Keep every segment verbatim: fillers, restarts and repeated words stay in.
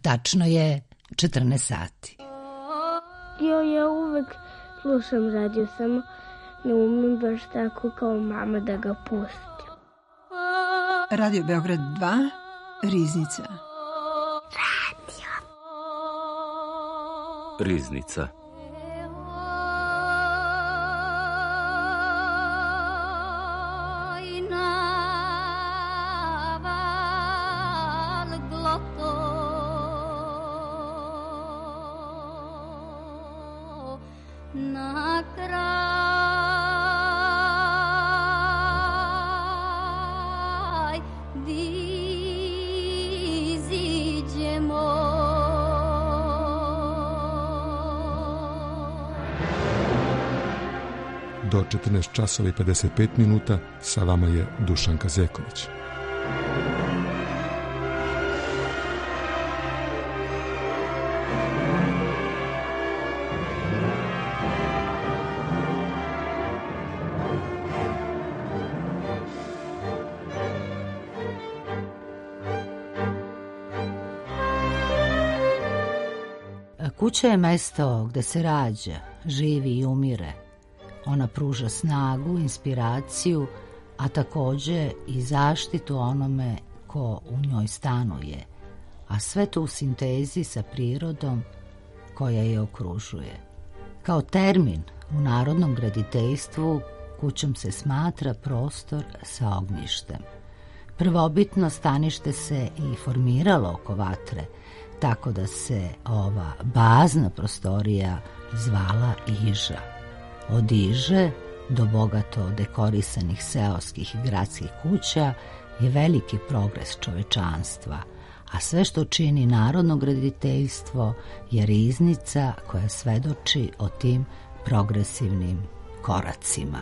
Tačno je četrnaest sati. Jo, ja uvek slušam radio, samo ne umem baš tako kao mama da ga pustim. Radio Beograd dva, Riznica. Radio. Riznica. Do četrnaest časova i pedeset pet minuta sa vama je Dušanka Zeković. Kuća je mesto gde se rađa, živi i umire. Ona pruža snagu, inspiraciju, a takođe i zaštitu onome ko u njoj stanuje, a sve to u sintezi sa prirodom koja je okružuje. Kao termin u narodnom graditeljstvu kućom se smatra prostor sa ognjištem. Prvobitno stanište se i formiralo oko vatre, tako da se ova bazna prostorija zvala iža. Od iže do bogato dekorisanih seoskih i gradskih kuća je veliki progres čovečanstva, a sve što čini narodno graditeljstvo je riznica koja svedoči o tim progresivnim koracima.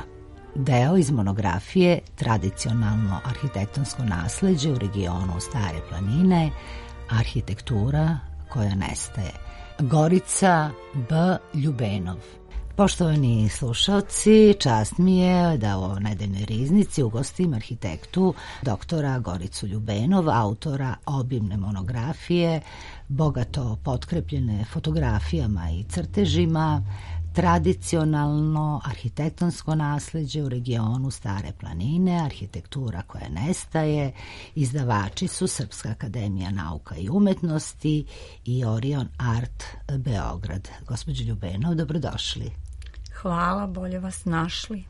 Deo iz monografije Tradicionalno arhitektonsko nasleđe u regionu Stare planine, arhitektura koja nestaje. Gorica B. Ljubenov. Poštovani slušalci, čast mi je da u ovoj nedeljnoj riznici ugostim arhitektu doktora Goricu Ljubenov, autora obimne monografije, bogato potkrepljene fotografijama i crtežima, Tradicionalno arhitektonsko nasleđe u regionu Stare planine, arhitektura koja nestaje. Izdavači su Srpska akademija nauka i umetnosti i Orion Art Beograd. Gospođo Ljubenov, dobrodošli. Hvala, bolje vas našli.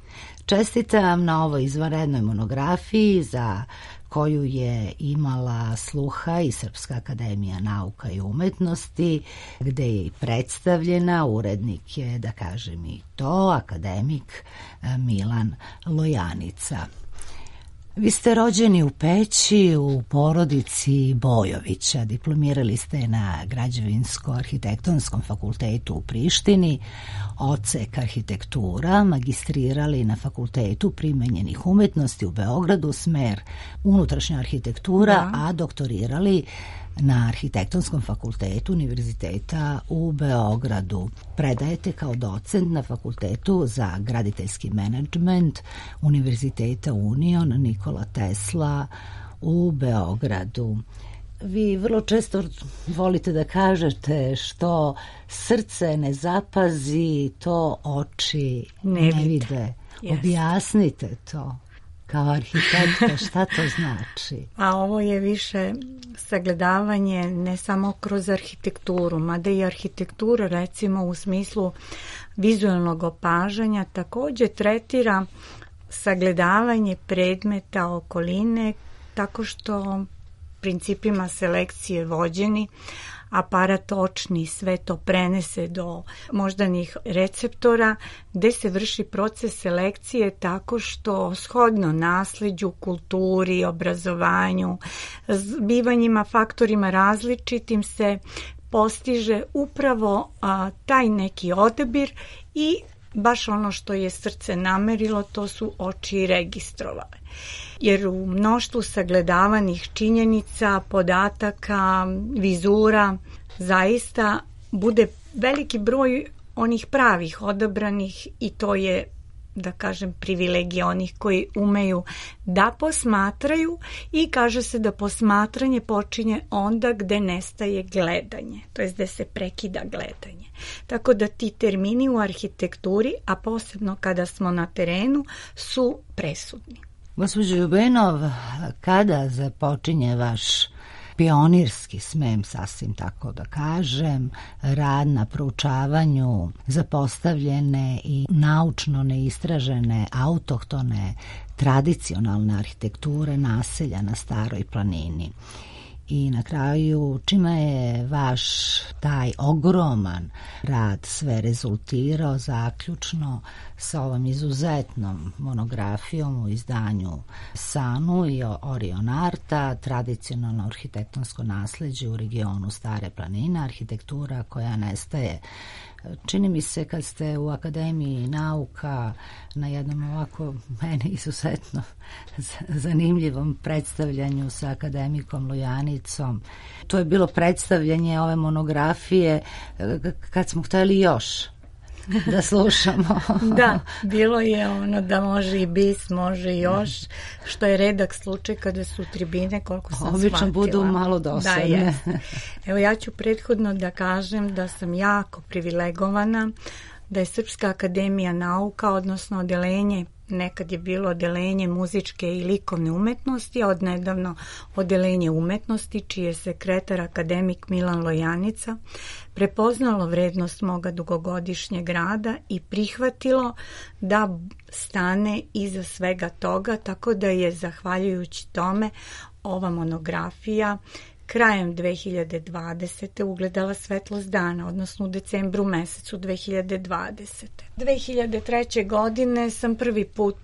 Čestitam na ovoj izvanrednoj monografiji za koju je imala sluha i Srpska akademija nauka i umetnosti, gde je i predstavljena. Urednik je, da kažem i to, akademik Milan Lojanica. Vi ste rođeni u Peći u porodici Bojovića, diplomirali ste na Građevinsko-arhitektonskom fakultetu u Prištini, odsek arhitektura, magistrirali na Fakultetu primenjenih umetnosti u Beogradu, smer unutrašnja arhitektura, da. A doktorirali na Arhitektonskom fakultetu Univerziteta u Beogradu. Predajete kao docent na Fakultetu za graditeljski menadžment Univerziteta Union Nikola Tesla u Beogradu. Vi vrlo često volite da kažete što srce ne zapazi, to oči ne, ne vide. Yes. Objasnite to. Kao arhitekta, šta to znači? A ovo je više sagledavanje ne samo kroz arhitekturu, mada i arhitektura recimo u smislu vizualnog opažanja također tretira sagledavanje predmeta okoline tako što principima selekcije vođeni aparat očni sve to prenese do moždanih receptora gde se vrši proces selekcije tako što shodno nasleđu, kulturi, obrazovanju, zbivanjima, faktorima različitim se postiže upravo a, taj neki odabir i baš ono što je srce namerilo, to su oči registrovale. Jer u mnoštvu sagledavanih činjenica, podataka, vizura, zaista bude veliki broj onih pravih odabranih i to je da kažem, privilegija onih koji umeju da posmatraju i kaže se da posmatranje počinje onda gde nestaje gledanje, to jest gde se prekida gledanje. Tako da ti termini u arhitekturi, a posebno kada smo na terenu, su presudni. Gospođo Ljubenov, kada započinje vaš pionirski, smem sasvim tako da kažem, rad na proučavanju zapostavljene i naučno neistražene autohtone tradicionalne arhitekture naselja na Staroj planini? I na kraju, čime je vaš taj ogroman rad sve rezultirao zaključno sa ovom izuzetnom monografijom u izdanju Sanu i Orion Arta, tradicionalno arhitektonsko nasleđe u regionu Stare planine, arhitektura koja nestaje. Čini mi se kad ste u Akademiji nauka na jednom ovako meni izuzetno zanimljivom predstavljanju sa akademikom Lujanicom. To je bilo predstavljanje ove monografije kad smo htjeli još da slušamo. Da, bilo je ono da može i bis, može i još, što je redak slučaj kada su tribine, koliko sam obično shvatila. Budu malo dosadne. Da, evo ja ću prethodno da kažem da sam jako privilegovana, da je Srpska akademija nauka, odnosno odelenje, nekad je bilo odelenje muzičke i likovne umetnosti, a odnedavno odelenje umetnosti, čiji je sekretar akademik Milan Lojanica, prepoznalo vrednost moga dugogodišnjeg rada i prihvatilo da stane iza svega toga, tako da je, zahvaljujući tome, ova monografija krajem dve hiljade dvadesete ugledala svetlost dana, odnosno u decembru mesecu dve hiljade dvadesete. dve hiljade treće. godine sam prvi put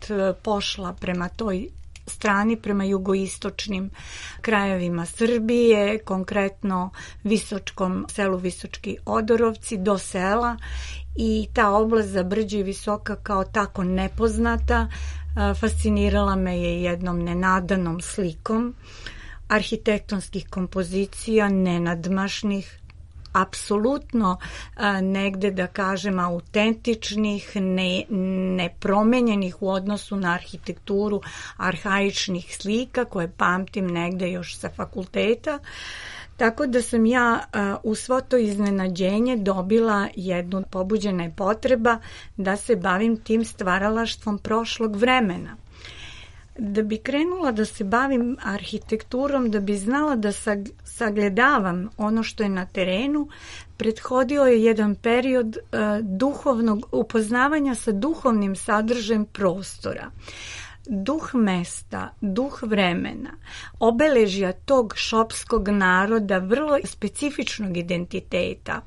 pošla prema toj strani, prema jugoistočnim krajevima Srbije, konkretno Visočkom selu Visočki Odorovci, do sela, i ta oblast za Brđe i Visoka kao tako nepoznata fascinirala me je jednom nenadanom slikom arhitektonskih kompozicija, nenadmašnih, apsolutno a, negde da kažem autentičnih, ne, nepromenjenih u odnosu na arhitekturu arhaičnih slika koje pamtim negde još sa fakulteta. Tako da sam ja a, u svo to iznenađenje dobila jednu, pobuđena je potreba da se bavim tim stvaralaštvom prošlog vremena. Da bi krenula da se bavim arhitekturom, da bi znala da sagledavam ono što je na terenu, prethodio je jedan period uh, duhovnog upoznavanja sa duhovnim sadržajem prostora. Duh mesta, duh vremena, obeležja tog šopskog naroda, vrlo specifičnog identiteta.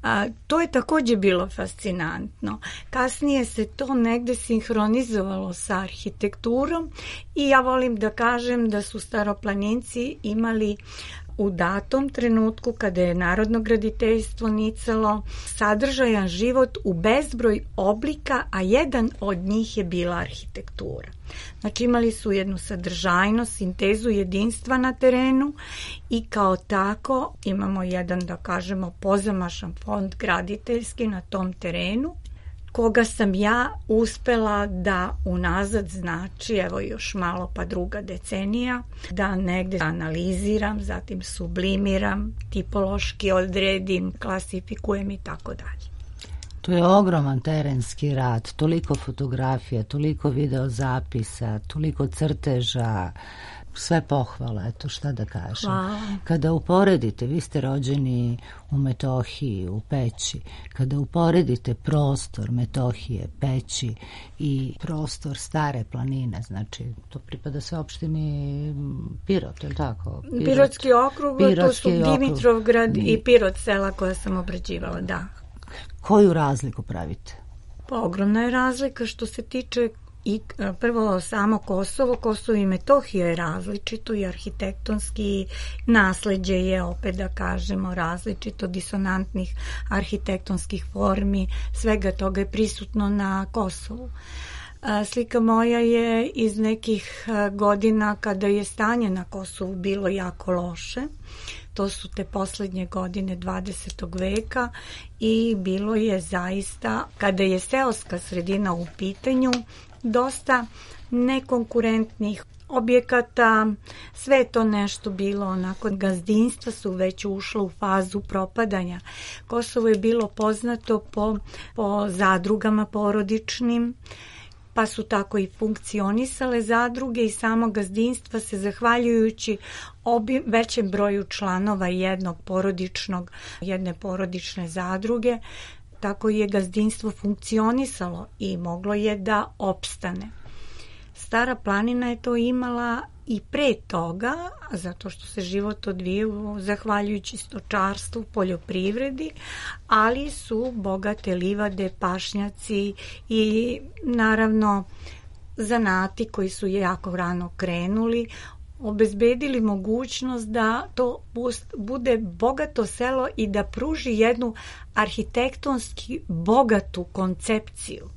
A, to je također bilo fascinantno. Kasnije se to negde sinhronizovalo sa arhitekturom i ja volim da kažem da su staroplaninci imali u datom trenutku kada je narodno graditeljstvo nicalo sadržajan život u bezbroj oblika, a jedan od njih je bila arhitektura. Znači imali su jednu sadržajnost, sintezu jedinstva na terenu i kao tako imamo jedan, da kažemo, pozamašan fond graditeljski na tom terenu, koga sam ja uspela da unazad, znači evo još malo pa druga decenija, da negde analiziram, zatim sublimiram, tipološki odredim, klasifikujem i tako dalje. To je ogroman terenski rad, toliko fotografija, toliko videozapisa, toliko crteža, sve pohvala, eto šta da kažem. Hvala. Kada uporedite, vi ste rođeni u Metohiji, u Peći, kada uporedite prostor Metohije, Peći i prostor Stare planine, znači to pripada se opštini Pirot, je li tako? Pirot, Pirotski okrug, to su okrug. Dimitrovgrad i Pirot sela koja sam obrađivala, da. Koju razliku pravite? Pa ogromna je razlika što se tiče i prvo samo Kosovo, Kosovo i Metohija je različito i arhitektonski nasleđe je, opet da kažemo, različito, disonantnih arhitektonskih formi, svega toga je prisutno na Kosovu. Slika moja je iz nekih godina kada je stanje na Kosovu bilo jako loše. to su te posljednje godine dvadesetog veka i bilo je zaista, kada je seoska sredina u pitanju, dosta nekonkurentnih objekata, sve je to nešto bilo onako, gazdinstva su već ušla u fazu propadanja. Kosovo je bilo poznato po, po zadrugama porodičnim, pa su tako i funkcionisale zadruge i samo gazdinstva se, zahvaljujući obi, većem broju članova jednog porodičnog, jedne porodične zadruge, tako je gazdinstvo funkcionisalo i moglo je da opstane. Stara planina je to imala i pre toga, zato što se život odvijao zahvaljujući stočarstvu, poljoprivredi, ali su bogate livade, pašnjaci i naravno zanati koji su jako rano krenuli, obezbedili mogućnost da to bude bogato selo i da pruži jednu arhitektonski bogatu koncepciju.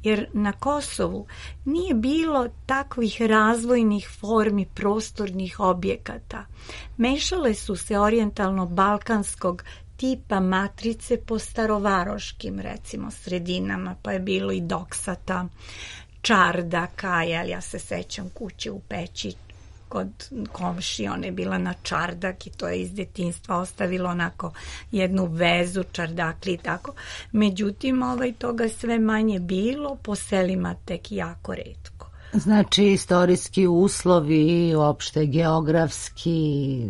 Jer na Kosovu nije bilo takvih razvojnih formi prostornih objekata. Mešale su se orijentalno-balkanskog tipa matrice po starovaroškim, recimo, sredinama, pa je bilo i doksata, čardaka, jel, ja se sećam kuće u Peći kod komšije, ona je bila na čardak i to je iz detinjstva ostavilo onako jednu vezu, čardakli i tako. Međutim, ovaj, toga sve manje bilo, po selima tek jako retko. Znači, istorijski uslovi, uopšte geografski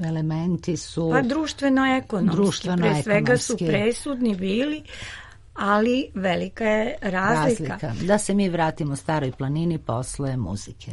elementi su... Pa društveno-ekonomski, društveno pre svega su presudni bili, ali velika je razlika. razlika. Da se mi vratimo Staroj planini posle muzike.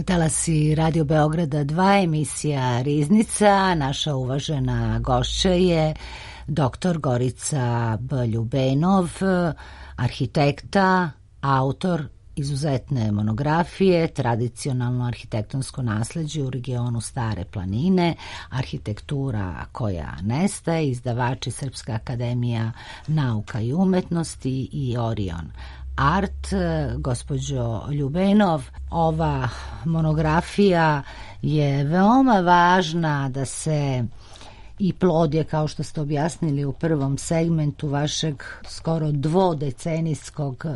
Talasi Radio Beograda dva, emisija Riznica. Naša uvažena gošća je doktor Gorica B. Ljubenov, arhitekta, autor izuzetne monografije, tradicionalno arhitektonsko nasleđe u regionu Stare planine, arhitektura koja nestaje, izdavači Srpska akademija nauka i umetnosti i Orion Art. Gospođo Ljubenov, ova monografija je veoma važna da se i plod je, kao što ste objasnili u prvom segmentu vašeg skoro dvodecenijskog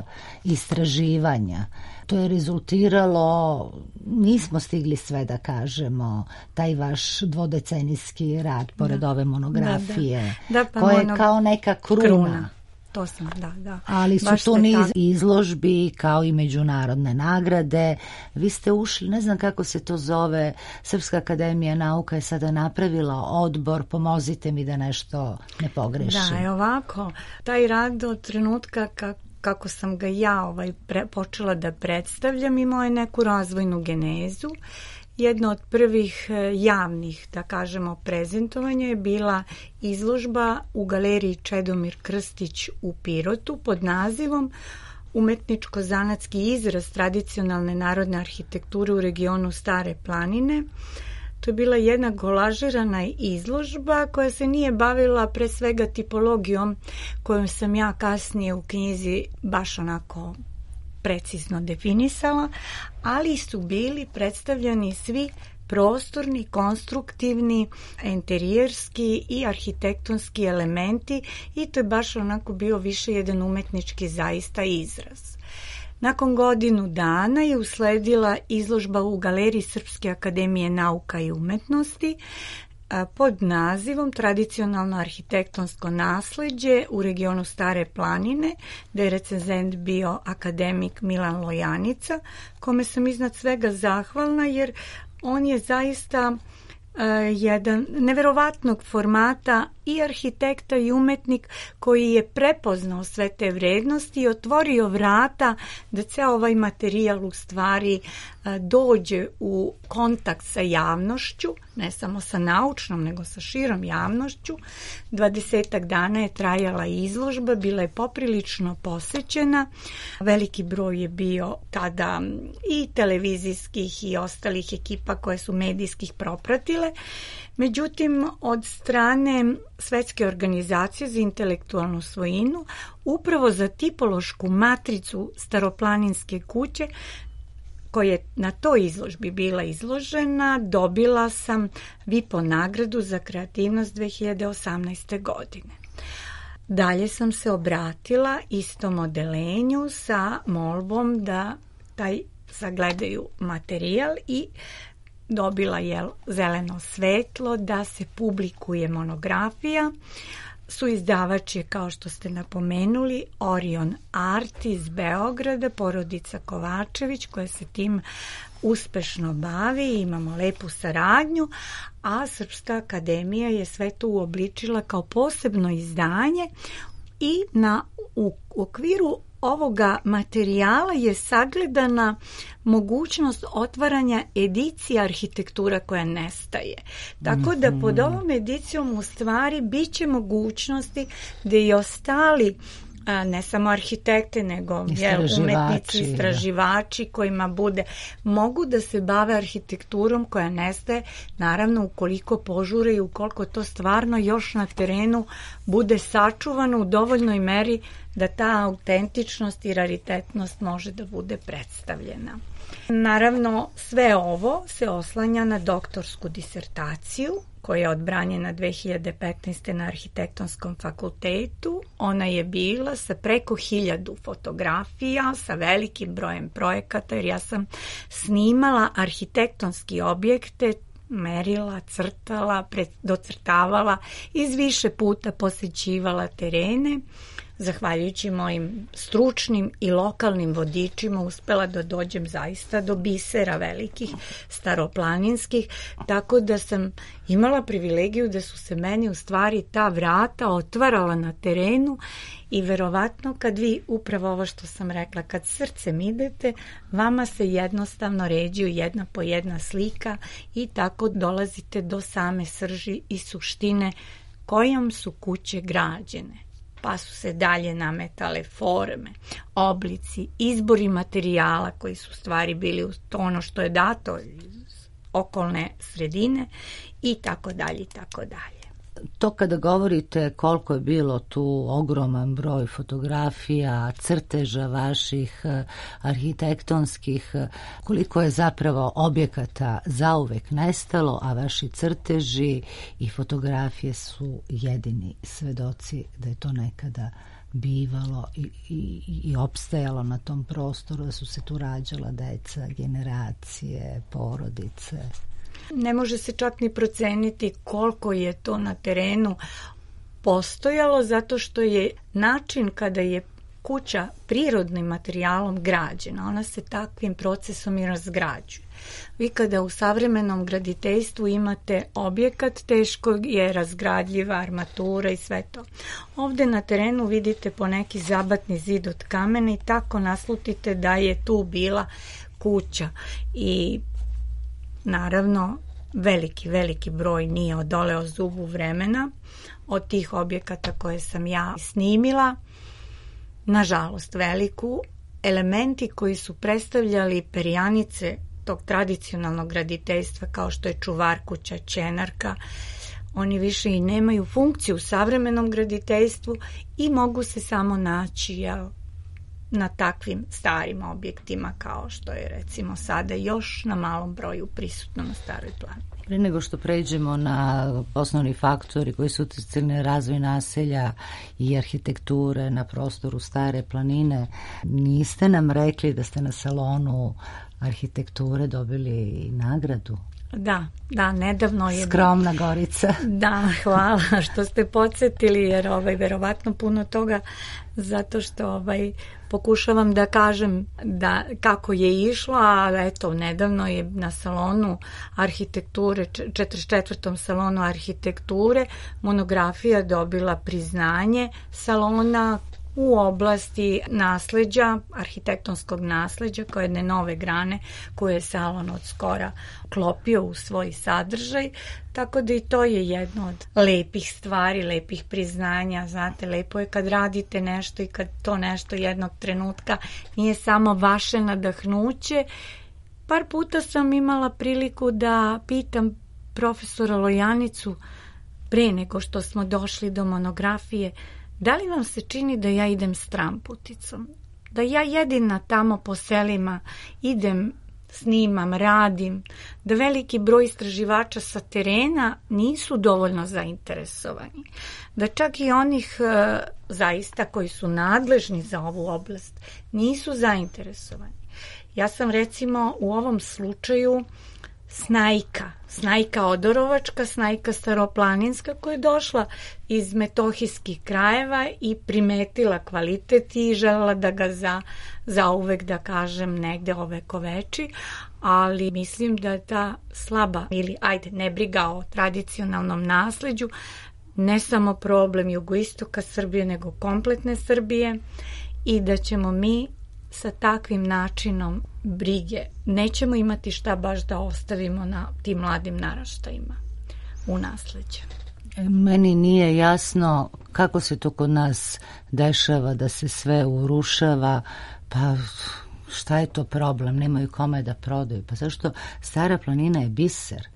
istraživanja. To je rezultiralo, nismo stigli sve da kažemo, taj vaš dvodecenijski rad pored da, ove monografije, da, da. Da, pa koja mono... je kao neka kruna. kruna. To sam, da, da. Ali su tu niz izložbi kao i međunarodne nagrade. Vi ste ušli, ne znam kako se to zove, Srpska akademija nauka je sada napravila odbor, pomozite mi da nešto ne pogrešim. Da, je ovako, taj rad od trenutka kako kako sam ga ja ovaj, pre, počela da predstavljam, imao je neku razvojnu genezu. Jedno od prvih javnih, da kažemo, prezentovanja je bila izložba u galeriji Čedomir Krstić u Pirotu pod nazivom Umetničko-zanatski izraz tradicionalne narodne arhitekture u regionu Stare planine. To je bila jedna kolažirana izložba koja se nije bavila pre svega tipologijom kojom sam ja kasnije u knjizi baš onako precizno definisala, ali su bili predstavljeni svi prostorni, konstruktivni, enterijerski i arhitektonski elementi i to je baš onako bio više jedan umetnički zaista izraz. Nakon godinu dana je usledila izložba u galeriji Srpske akademije nauka i umetnosti pod nazivom Tradicionalno arhitektonsko nasleđe u regionu Stare planine, da je recenzent bio akademik Milan Lojanica, kome sam iznad svega zahvalna jer on je zaista uh, jedan neverovatnog formata i arhitekta i umetnik koji je prepoznao sve te vrednosti i otvorio vrata da ceo ovaj materijal u stvari dođe u kontakt sa javnošću, ne samo sa naučnom, nego sa širom javnošću. Dvadesetak dana je trajala izložba, bila je poprilično posećena. Veliki broj je bio tada i televizijskih i ostalih ekipa koje su medijskih propratile. Međutim, od strane Svetske organizacije za intelektualnu svojinu, upravo za tipološku matricu staroplaninske kuće, koja je na toj izložbi bila izložena, dobila sam V I P O nagradu za kreativnost dve hiljade osamnaeste. godine. Dalje sam se obratila istom odelenju sa molbom da taj sagledaju materijal i dobila je zeleno svetlo da se publikuje monografija. Suizdavač je, kao što ste napomenuli, Orion Art iz Beograda, porodica Kovačević koja se tim uspešno bavi, imamo lepu saradnju, a Srpska akademija je sve to uobličila kao posebno izdanje i na, u okviru ovoga materijala je sagledana mogućnost otvaranja edicija arhitektura koja nestaje. Tako da pod ovom edicijom u stvari bit će mogućnosti da i ostali, ne samo arhitekte, nego istraživači, umetnici, istraživači kojima bude, mogu da se bave arhitekturom koja nestaje, naravno ukoliko požure i ukoliko to stvarno još na terenu bude sačuvano u dovoljnoj meri da ta autentičnost i raritetnost može da bude predstavljena. Naravno, sve ovo se oslanja na doktorsku disertaciju koja je odbranjena dve hiljade petnaeste. na Arhitektonskom fakultetu. Ona je bila sa preko hiljadu fotografija, sa velikim brojem projekata, jer ja sam snimala arhitektonski objekte, merila, crtala, docrtavala, iz više puta posećivala terene. Zahvaljujući mojim stručnim i lokalnim vodičima uspela da dođem zaista do bisera velikih staroplaninskih, tako da sam imala privilegiju da su se meni u stvari ta vrata otvarala na terenu i verovatno kad vi, upravo ovo što sam rekla, kad srcem idete, vama se jednostavno ređuju jedna po jedna slika i tako dolazite do same srži i suštine kojom su kuće građene. pa su se dalje nametale forme, oblici, izbori materijala koji su u stvari bili uz to ono što je dato iz okolne sredine i tako dalje i tako dalje. To kada govorite koliko je bilo tu ogroman broj fotografija, crteža vaših arhitektonskih, koliko je zapravo objekata zauvek nestalo, a vaši crteži i fotografije su jedini svedoci da je to nekada bivalo i, i, i opstajalo na tom prostoru, da su se tu rađala deca, generacije, porodice. Ne može se čak ni proceniti koliko je to na terenu postojalo, zato što je način kada je kuća prirodnim materijalom građena, ona se takvim procesom i razgrađuje. Vi kada u savremenom graditeljstvu imate objekat, teško je razgradljiva armatura i sve to. Ovde na terenu vidite po neki zabatni zid od kamena i tako naslutite da je tu bila kuća i naravno, veliki, veliki broj nije odoleo zubu vremena od tih objekata koje sam ja snimila. Nažalost, veliku. Elementi koji su predstavljali perjanice tog tradicionalnog graditeljstva, kao što je čuvar kuća, ćenarka, oni više i nemaju funkciju u savremenom graditeljstvu i mogu se samo naći, jel, na takvim starim objektima kao što je recimo sada još na malom broju prisutno na Staroj planini. Pre nego što pređemo na osnovni faktori koji su uticali na razvoj naselja i arhitekture na prostoru Stare planine, niste nam rekli da ste na salonu arhitekture dobili nagradu? Da, da, nedavno je... Skromna Gorica. Da, hvala što ste podsjetili, jer ovaj, verovatno puno toga, zato što ovaj, pokušavam da kažem da kako je išlo, a eto, nedavno je na salonu arhitekture, četrdeset četvrtom salonu arhitekture, monografija dobila priznanje salona u oblasti nasleđa, arhitektonskog nasleđa, kao jedne nove grane koje je salon od skora klopio u svoj sadržaj, tako da i to je jedno od lepih stvari, lepih priznanja. Znate, lepo je kad radite nešto i kad to nešto jednog trenutka nije samo vaše nadahnuće. Par puta sam imala priliku da pitam profesora Lojanicu pre nego što smo došli do monografije, da li vam se čini da ja idem stramputicom? Da ja jedina tamo po selima idem, snimam, radim, da veliki broj istraživača sa terena nisu dovoljno zainteresovani. Da čak i onih e, zaista koji su nadležni za ovu oblast nisu zainteresovani. Ja sam recimo u ovom slučaju Snajka, Snajka Odorovačka, Snajka Staroplaninska, koja je došla iz metohijskih krajeva i primetila kvalitet i želela da ga za, za uvek, da kažem, negde ovekoveči, ali mislim da je ta slaba ili, ajde, nebriga o tradicionalnom nasleđu ne samo problem jugoistoka Srbije, nego kompletne Srbije i da ćemo mi sa takvim načinom brige nećemo imati šta baš da ostavimo na tim mladim naraštajima u nasleđe. Meni nije jasno kako se to kod nas dešava da se sve urušava, pa šta je to problem, nemaju kome da prodaju, pa zašto Stara planina je biser,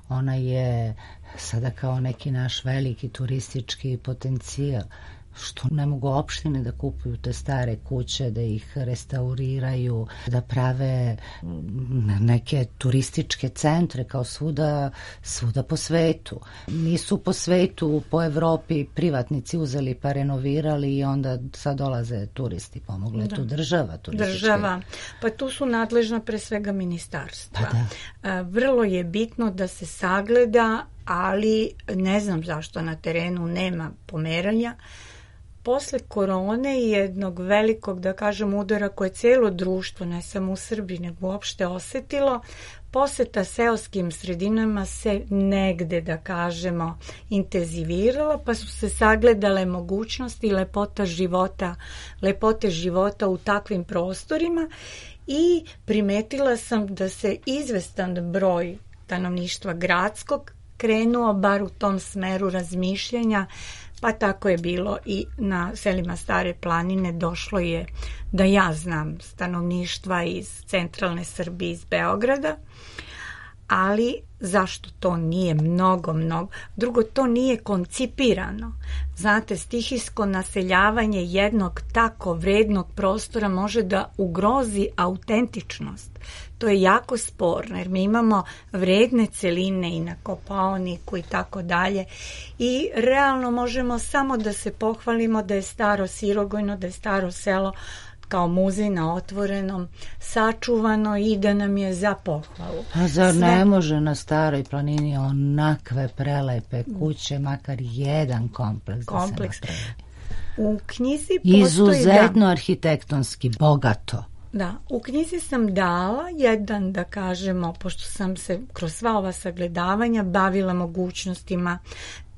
ona je sada kao neki naš veliki turistički potencijal. Što ne mogu opštine da kupuju te stare kuće, da ih restauriraju, da prave neke turističke centre kao svuda, svuda po svetu. Nisu po svetu, po Evropi privatnici uzeli pa renovirali i onda sad dolaze turisti, pomogla je tu država. Država, pa tu su nadležna pre svega ministarstva. Pa da. Vrlo je bitno da se sagleda, ali ne znam zašto na terenu nema pomeranja. Posle korone i jednog velikog, da kažem, udara koje cijelo društvo, ne samo u Srbiji, nego uopšte osetilo, poseta seoskim sredinama se negde, da kažemo, intenzivirala, pa su se sagledale mogućnosti i lepota života, lepote života u takvim prostorima i primetila sam da se izvestan broj stanovništva gradskog krenuo bar u tom smeru razmišljanja Pa tako je bilo i na selima Stare planine. Došlo je, da ja znam, stanovništva iz centralne Srbije, iz Beograda, ali zašto to nije mnogo, mnogo? Drugo, to nije koncipirano. Znate, stihijsko naseljavanje jednog tako vrednog prostora može da ugrozi autentičnost. To je jako sporno, jer mi imamo vredne celine i na Kopaoniku i tako dalje i realno možemo samo da se pohvalimo da je Staro Sirogojno, da je Staro Selo kao muzej na otvorenom sačuvano i da nam je za pohvalu. A zar Sve... ne može na Staroj planini onakve prelepe kuće, makar jedan kompleks, kompleks. da se napravi? U knjizi postoji... Izuzetno da, arhitektonski, bogato. Da, u knjizi sam dala jedan, da kažemo, pošto sam se kroz sva ova sagledavanja bavila mogućnostima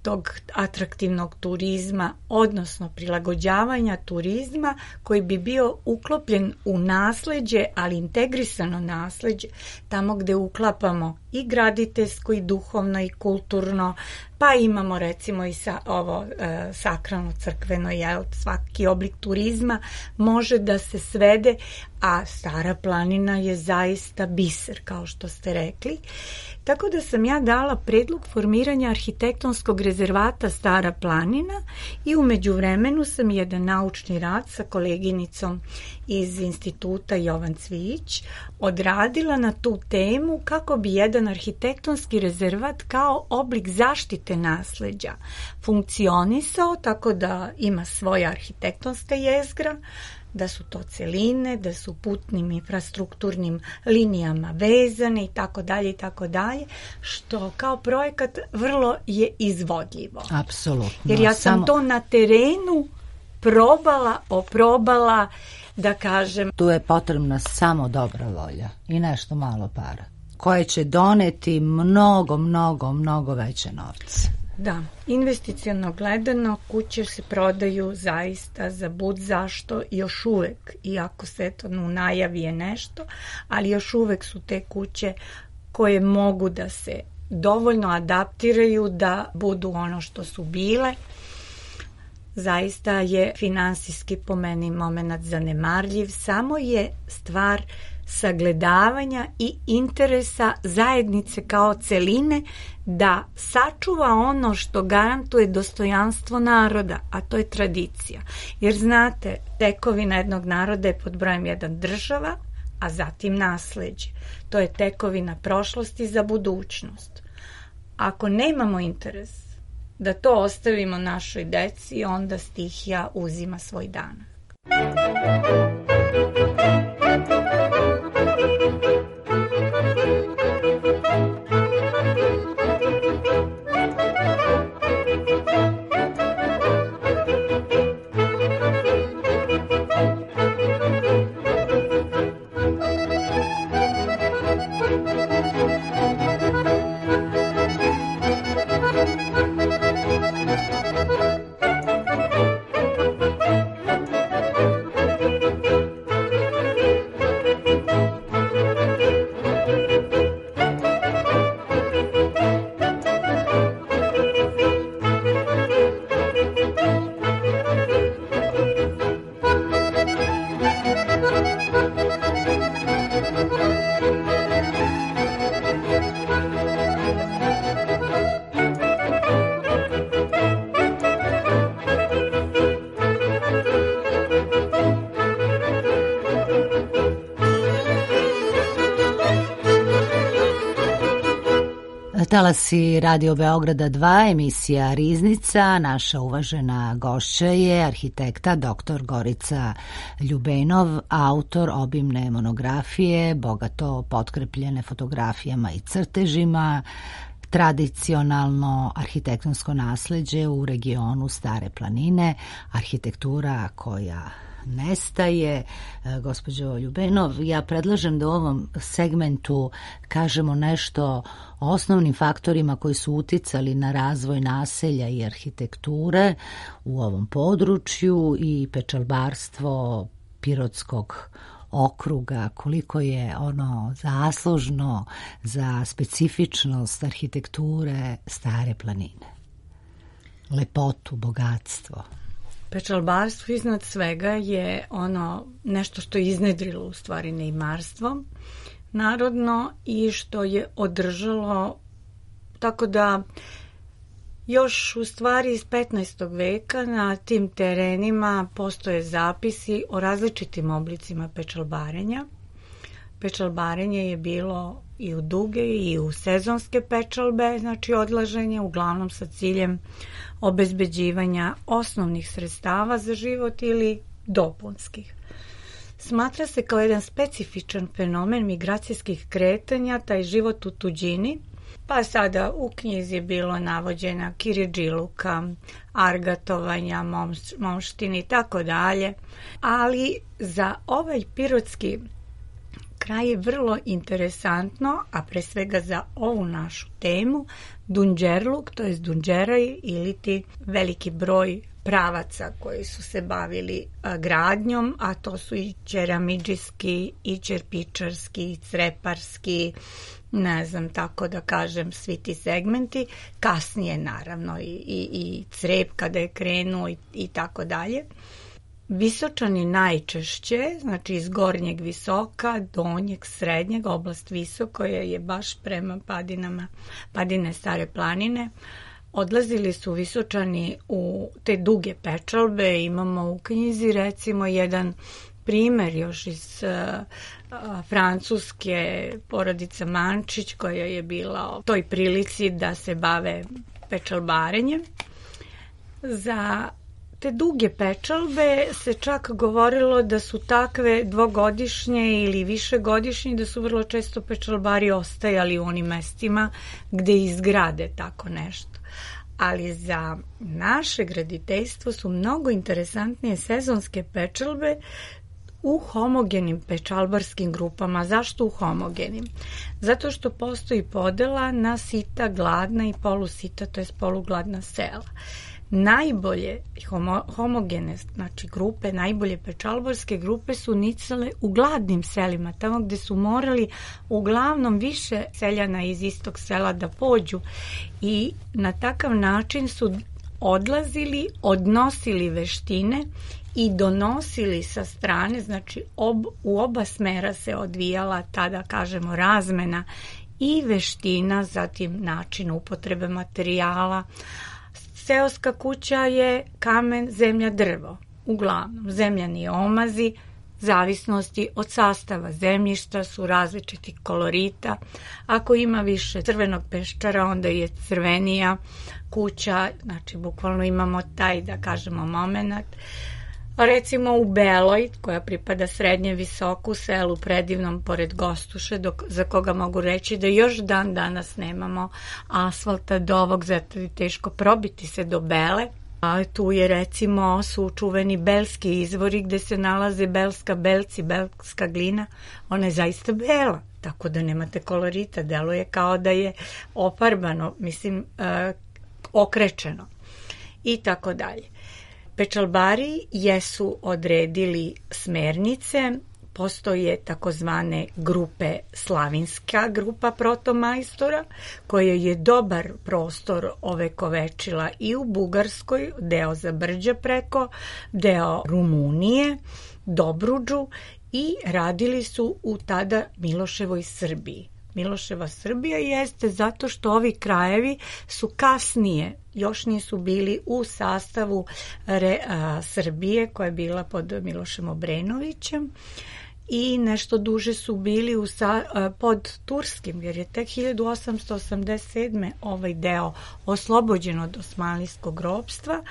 tog atraktivnog turizma, odnosno prilagođavanja turizma koji bi bio uklopljen u nasleđe, ali integrisano nasleđe, tamo gde uklapamo i graditeljsko i duhovno i kulturno, pa imamo recimo i sa, ovo e, sakralno crkveno, jel, svaki oblik turizma može da se svede, a Stara planina je zaista biser, kao što ste rekli. Tako da sam ja dala predlog formiranja arhitektonskog rezervata Stara planina i u međuvremenu sam jedan naučni rad sa koleginicom iz instituta Jovan Cvijić odradila na tu temu kako bi jedan arhitektonski rezervat kao oblik zaštite nasleđa funkcionisao tako da ima svoja arhitektonska jezgra, da su to celine, da su putnim infrastrukturnim linijama vezane i tako dalje i tako dalje, što kao projekat vrlo je izvodljivo. Apsolutno. Jer ja sam Samo... to na terenu probala, oprobala, da kažem. Tu je potrebna samo dobra volja i nešto malo para, koje će doneti mnogo, mnogo, mnogo veće novce. Da, investiciono gledano kuće se prodaju zaista za bud zašto još uvek, iako se to u najavi je nešto, ali još uvek su te kuće koje mogu da se dovoljno adaptiraju da budu ono što su bile. Zaista je finansijski po meni moment zanemarljiv, samo je stvar sagledavanja i interesa zajednice kao celine da sačuva ono što garantuje dostojanstvo naroda, a to je tradicija. Jer znate, tekovina jednog naroda je pod brojem jedan država, a zatim nasleđe. To je tekovina prošlosti za budućnost. Ako nemamo interes da to ostavimo našoj deci, onda stihija uzima svoj danak. Talasi Radio Beograda dva, emisija Riznica. Naša uvažena gošća je arhitekta doktor Gorica Ljubenov, autor obimne monografije, bogato potkrepljene fotografijama i crtežima, tradicionalno arhitektonsko nasleđe u regionu Stare planine, arhitektura koja nestaje. Gospođo Ljubenov, ja predlažem da u ovom segmentu kažemo nešto o osnovnim faktorima koji su uticali na razvoj naselja i arhitekture u ovom području i pečalbarstvo Pirotskog okruga, koliko je ono zaslužno za specifičnost arhitekture Stare planine. lepotu, bogatstvo? Pečalbarstvo iznad svega je ono nešto što je iznedrilo u stvari neimarstvo narodno i što je održalo, tako da još u stvari iz petnaestog veka na tim terenima postoje zapisi o različitim oblicima pečalbarenja. Pečalbarenje je bilo i u duge i u sezonske pečalbe, znači odlaženje, uglavnom sa ciljem obezbeđivanja osnovnih sredstava za život ili dopunskih. Smatra se kao jedan specifičan fenomen migracijskih kretanja, taj život u tuđini, pa sada u knjizi je bilo navođena kiridžiluka, argatovanja, momštini i tako dalje, ali za ovaj pirotski kraj je vrlo interesantno, a pre svega za ovu našu temu, Dunđerluk, to je Dunđeraj ili ti veliki broj pravaca koji su se bavili a, gradnjom, a to su i ćeramidžijski, i čerpičarski, i creparski, ne znam, tako da kažem, svi ti segmenti. Kasnije, naravno, i, i, i crep kada je krenuo i, i tako dalje. Visočani najčešće, znači iz gornjeg Visoka, donjeg, srednjeg, oblast Visok, koja je baš prema padinama, padine Stare planine, odlazili su Visočani u te duge pečalbe. Imamo u knjizi recimo jedan primer još iz uh, Francuske, porodica Mančić, koja je bila u toj prilici da se bave pečalbarenjem. Za te duge pečalbe se čak govorilo da su takve dvogodišnje ili višegodišnje, da su vrlo često pečalbari ostajali u onim mestima gde izgrade tako nešto. Ali za naše graditeljstvo su mnogo interesantnije sezonske pečalbe u homogenim pečalbarskim grupama. Zašto u homogenim? Zato što postoji podela na sita, gladna i polusita, to je polugladna sela. Najbolje homo, homogene, znači grupe, najbolje pečalbarske grupe su nicale u gladnim selima, tamo gde su morali uglavnom više seljana iz istog sela da pođu, i na takav način su odlazili, odnosili veštine i donosili sa strane, znači ob, u oba smera se odvijala tada, kažemo, razmena i veština, zatim način upotrebe materijala. Seoska kuća je kamen, zemlja, drvo. Uglavnom, zemljani omazi, zavisnosti od sastava zemljišta, su različitih kolorita. Ako ima više crvenog peščara, onda je crvenija kuća, znači bukvalno imamo taj, da kažemo, moment. Recimo u Beloj, koja pripada srednje Visoku, selu predivnom pored Gostuše, dok, za koga mogu reći da još dan danas nemamo asfalta do ovog, zato je teško probiti se do Bele. A tu je recimo su čuveni belski izvori gde se nalaze belska belci, belska glina. Ona je zaista bela, tako da nemate kolorita, deluje kao da je oparbano, mislim, e, okrečeno i tako dalje. Pečalbari jesu odredili smernice, postoje takozvane grupe, slavinska grupa protomajstora, koja je dobar prostor ovekovečila i u Bugarskoj, deo Zabrđa preko, deo Rumunije, Dobruđu, i radili su u tada Miloševoj Srbiji. Miloševa Srbija jeste zato što ovi krajevi su kasnije, još nisu bili u sastavu re, a, Srbije koja je bila pod Milošem Obrenovićem, i nešto duže su bili u sa, a, pod Turskim, jer je tek hiljadu osamsto osamdeset sedme ovaj deo oslobođen od osmanlijskog ropstva,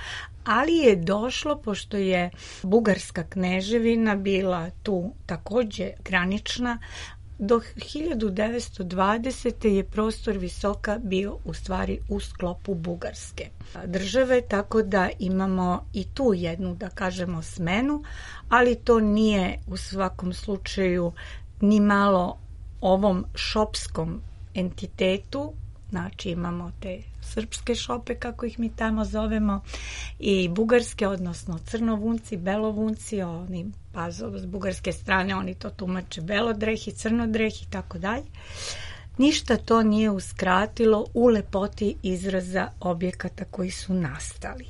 ali je došlo, pošto je Bugarska kneževina bila tu takođe granična, do hiljadu devetsto dvadesete je prostor Visoka bio u stvari u sklopu Bugarske države, tako da imamo i tu jednu, da kažemo, smenu, ali to nije u svakom slučaju ni malo ovom šopskom entitetu. Znači imamo te srpske šope, kako ih mi tamo zovemo, i bugarske, odnosno crnovunci, belovunci, oni, pa s bugarske strane oni to tumače belodrehi, crnodrehi i tako dalje. ništa to nije uskratilo u lepoti izraza objekata koji su nastali.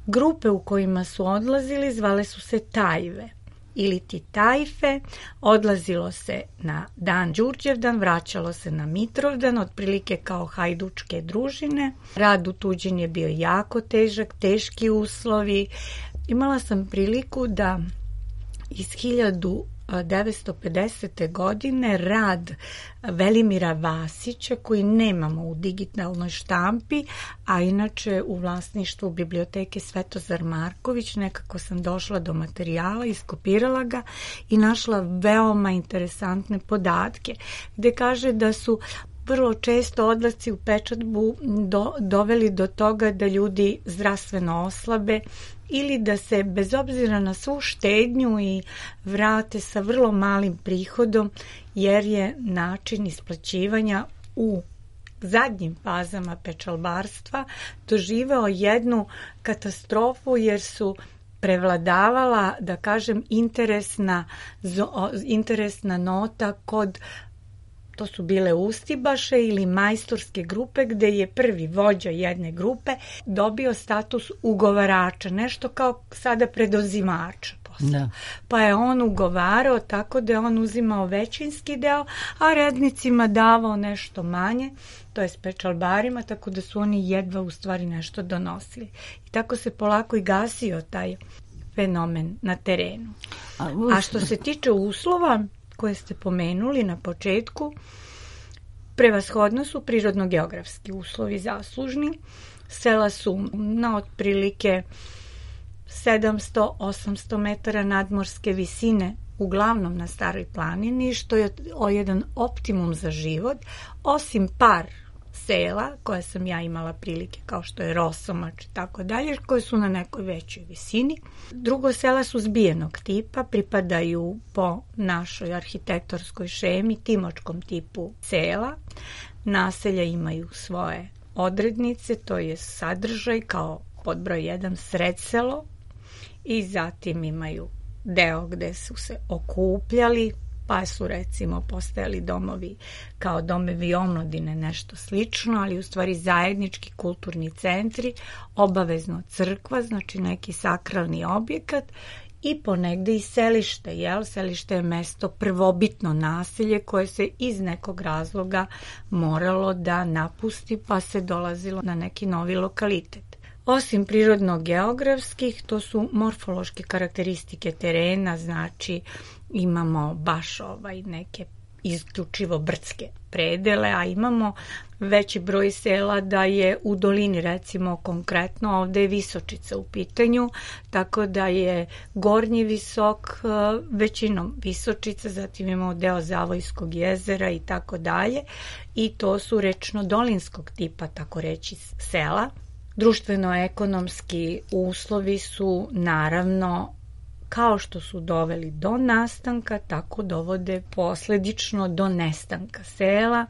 Grupe u kojima su odlazili zvale su se tajve ili ti tajfe, odlazilo se na dan Đurđevdan, vraćalo se na Mitrovdan, otprilike kao hajdučke družine. Rad u tuđini je bio jako težak, teški uslovi. Imala sam priliku da iz hiljadu devetsto pedesete. godine rad Velimira Vasića, koji nemamo u digitalnoj štampi, a inače u vlasništvu biblioteke Svetozar Marković, nekako sam došla do materijala, iskopirala ga i našla veoma interesantne podatke, gde kaže da su vrlo često odlasci u pečatbu do, doveli do toga da ljudi zdravstveno oslabe ili da se bez obzira na svu štednju i vrate sa vrlo malim prihodom, jer je način isplaćivanja u zadnjim fazama pečalbarstva doživeo jednu katastrofu, jer su prevladavala, da kažem, interesna, interesna nota kod, to su bile ustibaše ili majstorske grupe, gde je prvi vođa jedne grupe dobio status ugovarača, nešto kao sada predozimača. Da. Pa je on ugovarao tako da je on uzimao većinski deo, a rednicima davao nešto manje, to je s pečalbarima, tako da su oni jedva u stvari nešto donosili. I tako se polako i gasio taj fenomen na terenu. A, a što se tiče uslova koje ste pomenuli na početku, prevashodno su prirodno-geografski uslovi zaslužni. Sela su na otprilike sedamsto do osamsto metara nadmorske visine, uglavnom na Staroj planini, što je jedan optimum za život, osim par sela koje sam ja imala prilike, kao što je Rosomač i tako dalje, koje su na nekoj većoj visini. Drugo, sela su zbijenog tipa, pripadaju po našoj arhitektorskoj šemi timočkom tipu sela. Naselja imaju svoje odrednice, to je sadržaj kao pod broj jedan sredselo, i zatim imaju deo gde su se okupljali, pa su recimo postojali domovi kao domovi omladine, nešto slično, ali u stvari zajednički kulturni centri, obavezno crkva, znači neki sakralni objekat, i ponegde i selište, jel? Selište je mesto prvobitno naselje koje se iz nekog razloga moralo da napusti, pa se dolazilo na neki novi lokalitet. Osim prirodno-geografskih, to su morfološke karakteristike terena, znači imamo baš ovaj neke isključivo brdske predele, a imamo veći broj sela da je u dolini, recimo konkretno ovde je Visočica u pitanju, tako da je gornji Visok većinom Visočica, zatim imamo deo Zavojskog jezera i tako dalje, i to su rečno-dolinskog tipa, tako reći, sela. Društveno-ekonomski uslovi su naravno, kao što su doveli do nastanka, tako dovode posledično do nestanka sela,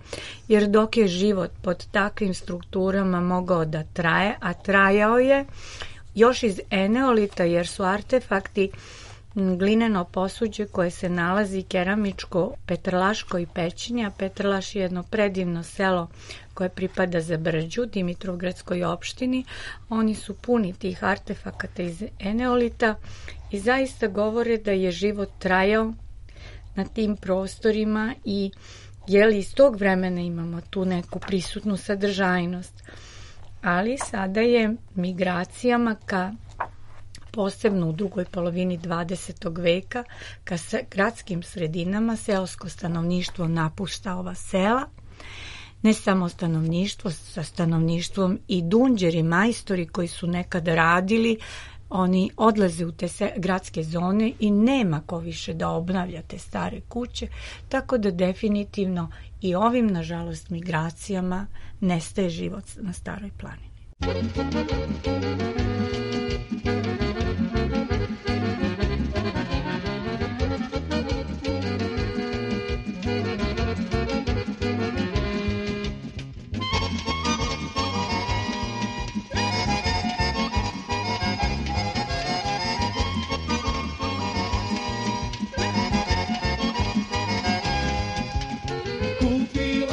jer dok je život pod takvim strukturama mogao da traje, a trajao je još iz eneolita, jer su artefakti glineno posuđe koje se nalazi keramičko Petrlaško i Pećinje, a Petrlaš je jedno predivno selo koje pripada za Brđu, Dimitrovgradskoj opštini. Oni su puni tih artefakata iz eneolita i zaista govore da je život trajao na tim prostorima i jeli iz tog vremena imamo tu neku prisutnu sadržajnost. Ali sada je migracijama ka posebno u drugoj polovini dvadesetog veka, ka gradskim sredinama seosko stanovništvo napušta ova sela. Ne samo stanovništvo, sa stanovništvom i dunđeri, majstori koji su nekada radili, oni odlaze u te gradske zone i nema ko više da obnavlja te stare kuće, tako da definitivno i ovim, nažalost, migracijama nestaje život na Staroj planini. Kupila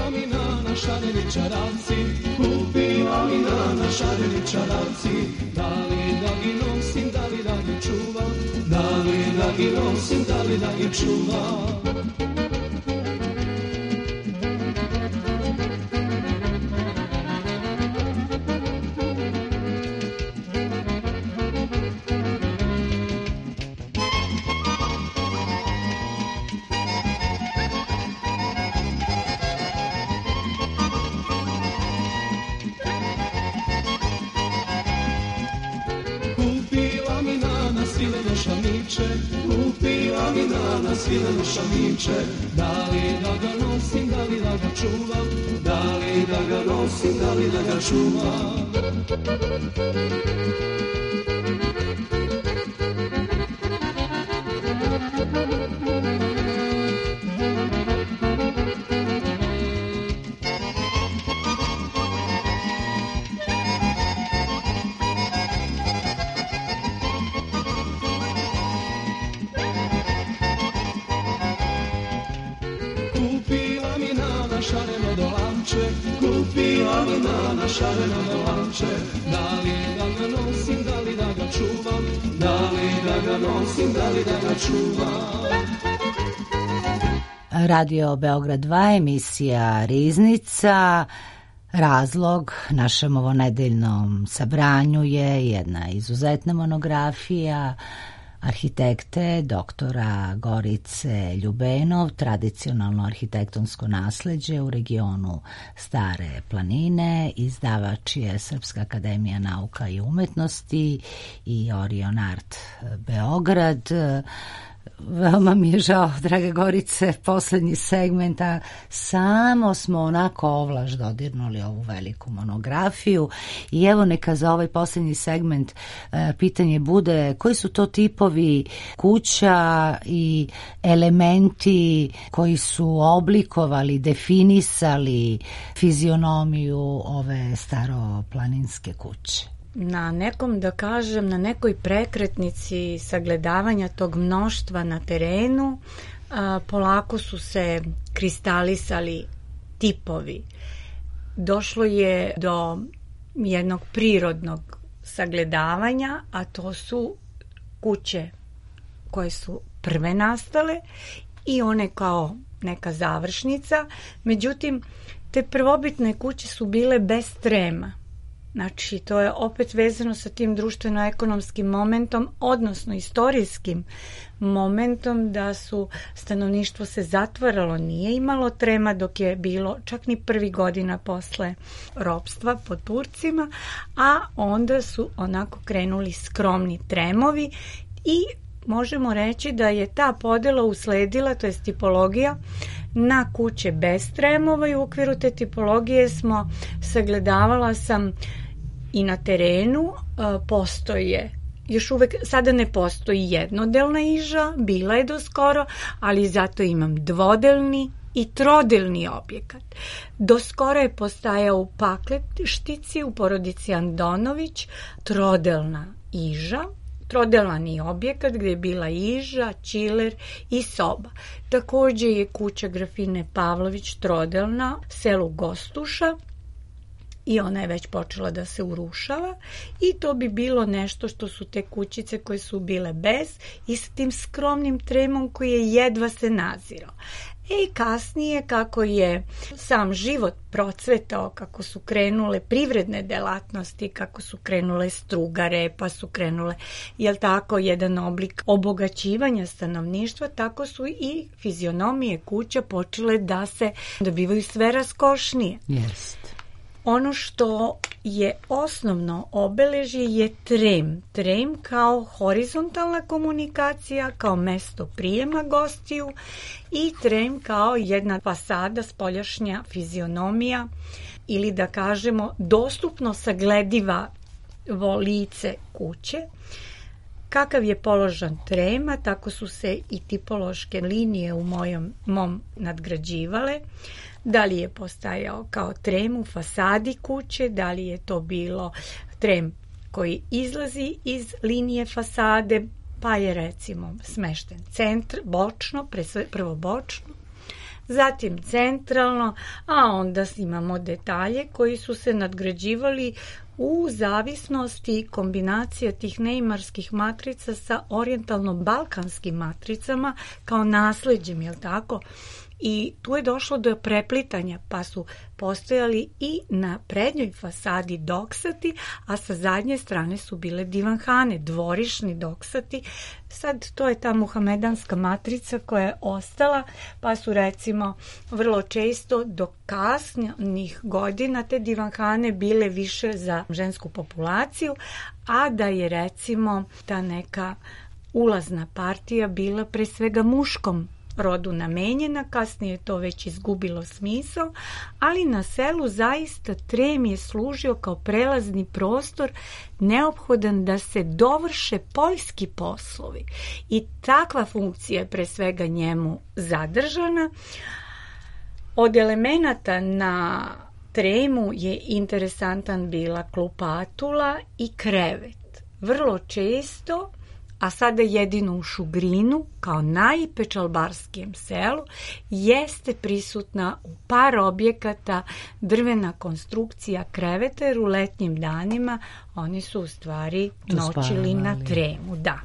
nana, šareni čaravci, kupila mi nana, šareni čaravci, da li da gi nosim, da li da gi čuvam, da li da gi nosim, da li da gi čuvam. Kupila mi nana svileno šamiće, da li da ga nosim, da li da ga čuvam, da li da ga nosim, da li da ga čuvam. Kupila mi nana šareno dolanče, da li da ga nosim, da li da ga čuvam, da li da ga nosim, da li da ga čuvam. Radio Beograd dva, emisija Riznica. Razlog našem ovonedeljnom sabranju je jedna izuzetna monografija arhitekte doktora Gorice Ljubenov, tradicionalno arhitektonsko nasleđe u regionu Stare planine. Izdavač je Srpska akademija nauka i umetnosti i Orion Art Beograd. Veoma mi je žao, draga Gorice, poslednji segment, a samo smo onako ovlaš dodirnuli ovu veliku monografiju i evo neka za ovaj poslednji segment e, pitanje bude koji su to tipovi kuća i elementi koji su oblikovali, definisali fizionomiju ove staroplaninske kuće. Na nekom, da kažem, na nekoj prekretnici sagledavanja tog mnoštva na terenu a, polako su se kristalisali tipovi. Došlo je do jednog prirodnog sagledavanja, a to su kuće koje su prve nastale i one kao neka završnica. Međutim, te prvobitne kuće su bile bez trema. Znači, to je opet vezano sa tim društveno-ekonomskim momentom, odnosno istorijskim momentom da su stanovništvo se zatvaralo, nije imalo trema dok je bilo čak ni prvi godina posle ropstva pod Turcima, a onda su onako krenuli skromni tremovi i možemo reći da je ta podela usledila, to je tipologija, na kuće bez tremova i u okviru te tipologije smo sagledavala sam i na terenu postoje, još uvek sada ne postoji jednodelna iža, bila je do skoro, ali zato imam dvodelni i trodelni objekat. Do skoro je postajao u Pakletištici u porodici Andonović trodelna iža, trodelani objekat gdje je bila iža, čiler i soba. Takođe je kuća Grafine Pavlović trodelna, selu Gostuša, i ona je već počela da se urušava i to bi bilo nešto što su te kućice koje su bile bez i s tim skromnim tremom koji je jedva se nazirao. I kasnije kako je sam život procvetao, kako su krenule privredne delatnosti, kako su krenule strugare, pa su krenule, jel tako, jedan oblik obogaćivanja stanovništva, tako su i fizionomije kuća počele da se dobivaju sve raskošnije. Jest. Ono što je osnovno obeležje je trem. Trem kao horizontalna komunikacija, kao mesto prijema gostiju i trem kao jedna fasada, spoljašnja fizionomija ili da kažemo dostupno saglediva lice kuće. Kakav je položan trema, tako su se i tipološke linije u mojom, mom nadgrađivale. Da li je postajao kao trem u fasadi kuće, da li je to bilo trem koji izlazi iz linije fasade, pa je recimo smešten centr, bočno, prvo bočno, zatim centralno, a onda imamo detalje koji su se nadgrađivali u zavisnosti kombinacija tih neimarskih matrica sa orijentalno-balkanskim matricama kao nasleđem, jel tako? I tu je došlo do preplitanja, pa su postojali i na prednjoj fasadi doksati, a sa zadnje strane su bile divanhane, dvorišni doksati. Sad to je ta muhamedanska matrica koja je ostala, pa su recimo vrlo često do kasnih godina te divanhane bile više za žensku populaciju, a da je recimo ta neka ulazna partija bila pre svega muškom rodu namenjena, kasnije je to već izgubilo smisao, ali na selu zaista trem je služio kao prelazni prostor neophodan da se dovrše poljski poslovi i takva funkcija je pre svega njemu zadržana. Od elemenata na tremu je interesantan bila klupatula i krevet. Vrlo često, a sada jedino u Šugrinu, kao najpečalbarskijem selu, jeste prisutna u par objekata drvena konstrukcija kreveta, jer u letnjim danima oni su u stvari noćili na tremu. Da.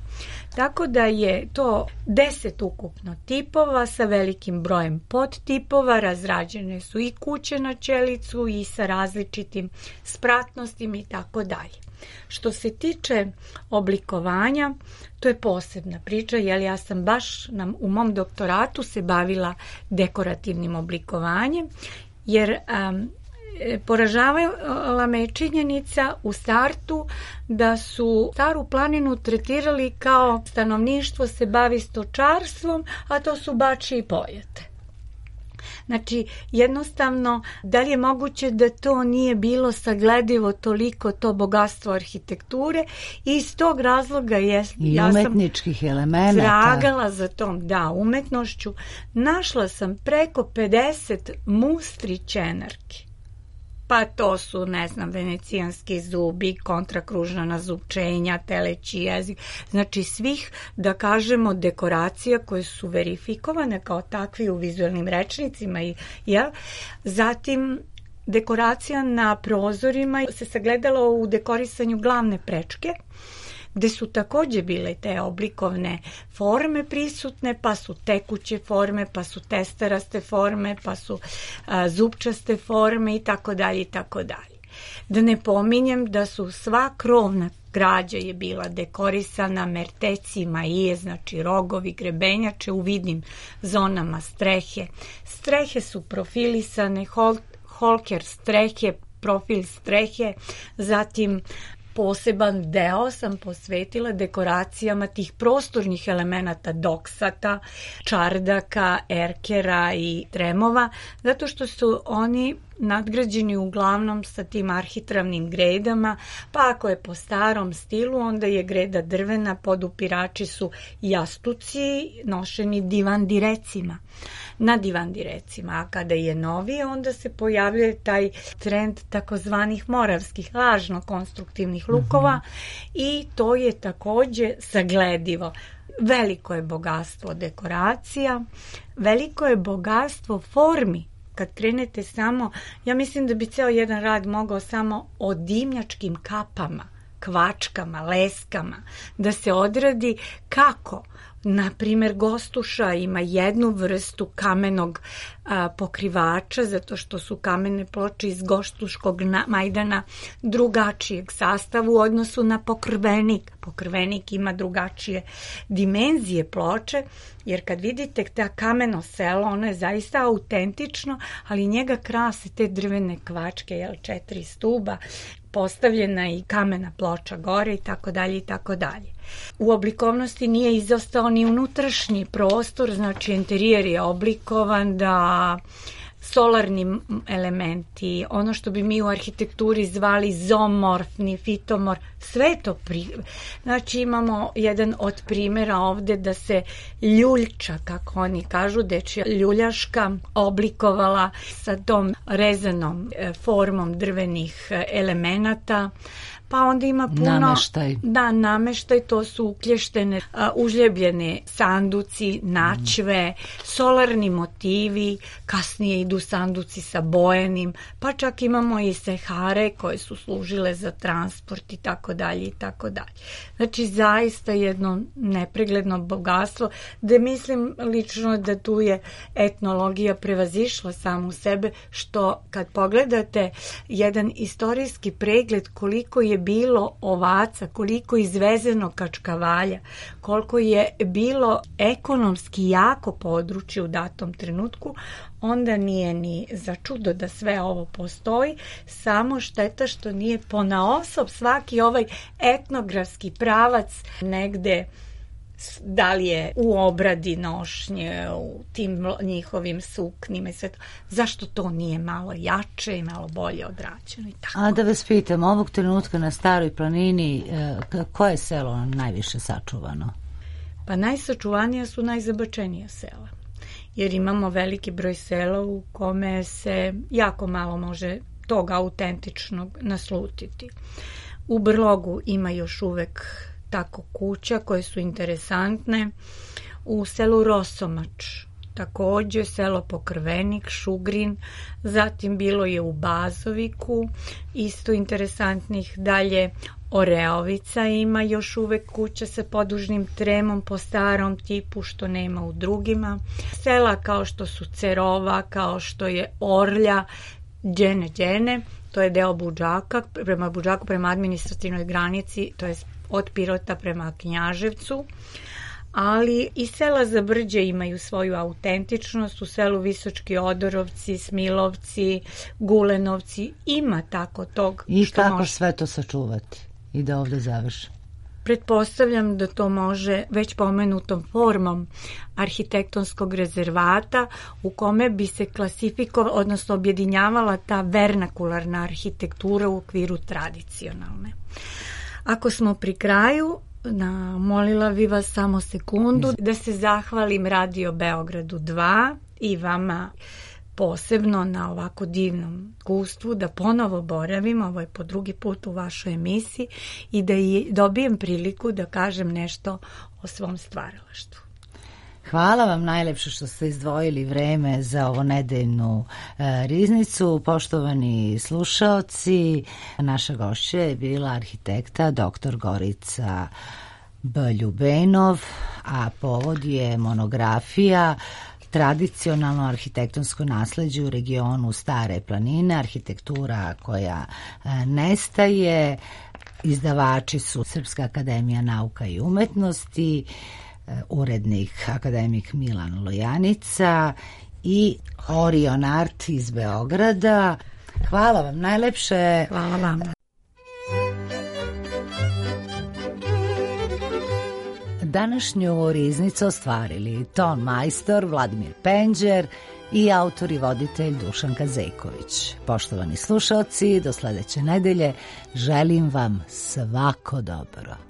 Tako da je to deset ukupno tipova sa velikim brojem podtipova, razrađene su i kuće na čelicu i sa različitim spratnostima i tako dalje. Što se tiče oblikovanja, to je posebna priča, jer ja sam baš na, u mom doktoratu se bavila dekorativnim oblikovanjem, jer um, poražavala me činjenica u startu da su Staru planinu tretirali kao stanovništvo se bavi stočarstvom, a to su bačije i pojete. Znači, jednostavno, da li je moguće da to nije bilo sagledivo toliko to bogatstvo arhitekture i iz tog razloga je, i ja umetničkih sam elemenata. tragala za tom, da, umetnošću. Našla sam preko pedeset mustrićenarki. Pa to su, ne znam, venecijanski zubi, kontrakružna nazupčenja, teleći jezik, znači svih, da kažemo, dekoracija koje su verifikovane kao takvi u vizualnim rečnicima. I, ja. Zatim, dekoracija na prozorima se sagledala u dekorisanju glavne prečke, gde su takođe bile te oblikovne forme prisutne, pa su tekuće forme, pa su testeraste forme, pa su a, zupčaste forme i tako dalje i tako dalje. Da ne pominjem da su sva krovna građa je bila dekorisana mertecima i, znači rogovi, grebenjače u vidnim zonama strehe. Strehe su profilisane, hol, holker strehe, profil strehe, zatim poseban deo sam posvetila dekoracijama tih prostornih elemenata doksata, čardaka, erkera i tremova, zato što su oni nadgrađeni uglavnom sa tim arhitravnim gredama, pa ako je po starom stilu, onda je greda drvena, podupirači su jastuci nošeni divandirecima. Na divandirecima, a kada je novije, onda se pojavljuje taj trend takozvanih moravskih lažno konstruktivnih lukova mm-hmm. i to je takođe sagledivo. Veliko je bogatstvo dekoracija, veliko je bogatstvo formi. Kad krenete samo, ja mislim da bi ceo jedan rad mogao samo o dimnjačkim kapama, kvačkama, leskama, da se odradi kako. Na primjer, Gostuša ima jednu vrstu kamenog a, pokrivača, zato što su kamene ploče iz Gostuškog majdana drugačijeg sastava u odnosu na pokrvenik. Pokrvenik ima drugačije dimenzije ploče, jer kad vidite ta kameno selo, ono je zaista autentično, ali njega krase te drvene kvačke, jel, četiri stuba, postavljena i kamena ploča gore i tako dalje i tako dalje. U oblikovnosti nije izostao ni unutrašnji prostor, znači interijer je oblikovan da solarni elementi, ono što bi mi u arhitekturi zvali zoomorfni, fitomorf, sve to pri... Znači imamo jedan od primjera ovde da se ljuljča, kako oni kažu, dečija ljuljaška oblikovala sa tom rezanom formom drvenih elemenata, pa onda ima puno... Nameštaj. Da, nameštaj, to su uklještene, uh, užljebljene sanduci, načve, mm. solarni motivi, kasnije idu sanduci sa bojenim, pa čak imamo i sehare koje su služile za transport i tako dalje i tako dalje. Znači, zaista jedno nepregledno bogatstvo, da mislim lično da tu je etnologija prevazišla samu sebe, što kad pogledate jedan istorijski pregled koliko je bilo ovaca, koliko izvezeno kačkavalja, koliko je bilo ekonomski jako područje u datom trenutku, onda nije ni za čudo da sve ovo postoji, samo šteta što nije ponaosob svaki ovaj etnografski pravac negde, da li je u obradi nošnje, u tim njihovim suknima i sve to. Zašto to nije malo jače i malo bolje odrađeno i tako? A da vas pitam, ovog trenutka na Staroj planini, koje je selo najviše sačuvano? Pa najsačuvanija su najzabačenija sela. Jer imamo veliki broj sela u kome se jako malo može toga autentičnog naslutiti. U Brlogu ima još uvek tako kuća koje su interesantne. U selu Rosomač takođe, selo Pokrvenik, Šugrin, zatim bilo je u Bazoviku, isto interesantnih. Dalje Oreovica ima još uvek kuća sa podužnim tremom po starom tipu, što nema u drugima. Sela kao što su Cerova, kao što je Orlja, Đene Đene, to je deo Budžaka, prema Budžaku, prema administrativnoj granici, to je od Pirota prema Knjaževcu, ali i sela za Brđe imaju svoju autentičnost. U selu Visočki Odorovci, Smilovci, Gulenovci, ima tako tog. I kako može sve to sačuvati i da ovde završi? Pretpostavljam da to može već pomenutom formom arhitektonskog rezervata u kome bi se klasifikovala, odnosno objedinjavala ta vernakularna arhitektura u okviru tradicionalne. Ako smo pri kraju, na, molila bi vas samo sekundu da se zahvalim Radio Beogradu dva i vama posebno na ovako divnom iskustvu, da ponovo boravim, ovo je po drugi put u vašoj emisiji, i da i dobijem priliku da kažem nešto o svom stvaralaštvu. Hvala vam najlepše što ste izdvojili vreme za ovo nedeljnu e, riznicu. Poštovani slušaoci, naša gošća je bila arhitekta doktor Gorica B. Ljubenov, a povod je monografija Tradicionalno arhitektonsko nasleđe u regionu Stare planine, arhitektura koja e, nestaje. Izdavači su Srpska akademija nauka i umetnosti, urednik akademik Milan Lojanica i Orion Art iz Beograda. Hvala vam najlepše. Hvala vam. Današnju riznicu ostvarili ton majstor Vladimir Penđer i autor i voditelj Dušan Kazejković. Poštovani slušaoci, do sledeće nedelje želim vam svako dobro.